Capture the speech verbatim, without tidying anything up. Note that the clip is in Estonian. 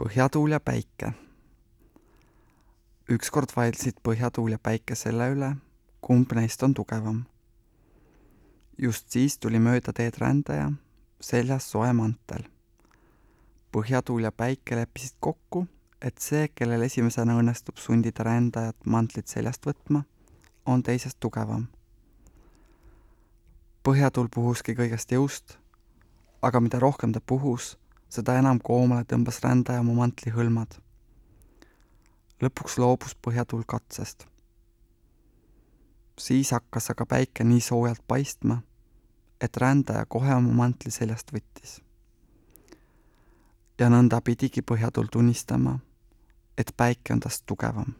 Põhjatuul ja päike. Ükskord vaidlesid põhjatuul ja päike selle üle, kumb neist on tugevam. Just siis tuli mööda teed rändaja, seljas soe mantel. Põhjatuul ja päike leppisid kokku, et see, kellel esimesena õnnestub sundida rändajat mantlit seljast võtma, on teisest tugevam. Põhjatuul puhuski kõigest jõust, aga mida rohkem ta puhus, seda enam koomale tõmbas rändaja oma mantli hõlmad. Lõpuks loobus põhjatuul katsest. Siis hakkas aga päike nii soojalt paistma, et rändaja kohe oma mantli seljast võttis. Ja nõnda pidigi põhjatuul tunnistama, et päike on tast tugevam.